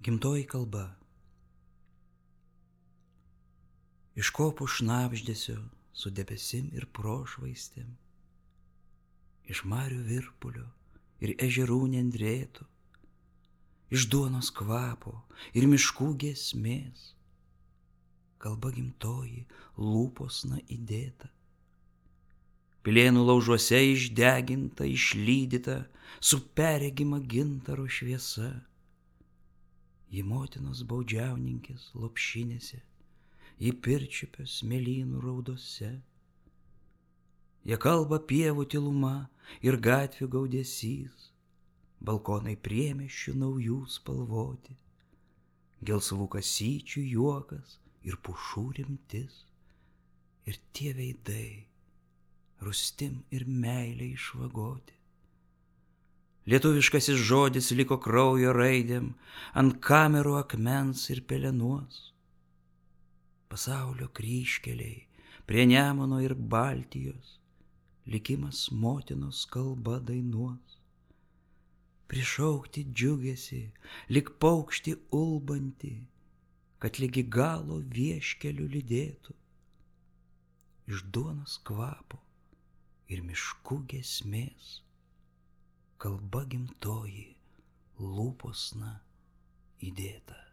Gimtoji kalba. Iš kopų šnabždesio su debesim ir prošvaistėm, iš marių virpulio ir ežerų nendrėtų, iš duonos kvapo ir miškų giesmės, kalba gimtoji lūposna įdėta, pilėnų laužuose išdeginta, išlydyta, su perregima gintaro šviesa. Ji motinos baudžiauninkės lopšinėse, ji pirčiupio smėlynų raudose. Jie kalba pievų tyluma ir gatvių gaudesys, balkonai priemiesčių naujų spalvoti, gelsvų kasyčių juokas ir pušų rimtis, ir tie veidai rustim ir meilė išvagoti. Lietuviškasis žodis liko kraujo raidėm ant kamerų akmens ir pelenuos. Pasaulio kryžkeliai prie Nemuno ir Baltijos likimas motinos kalba dainuos. Prišaukti džiugesį, lyg paukštį ulbantį, kad ligi galo vieškeliu lydėtų. Iš duonos kvapo ir miškų giesmės, kalba gimtoji lūposna įdėta.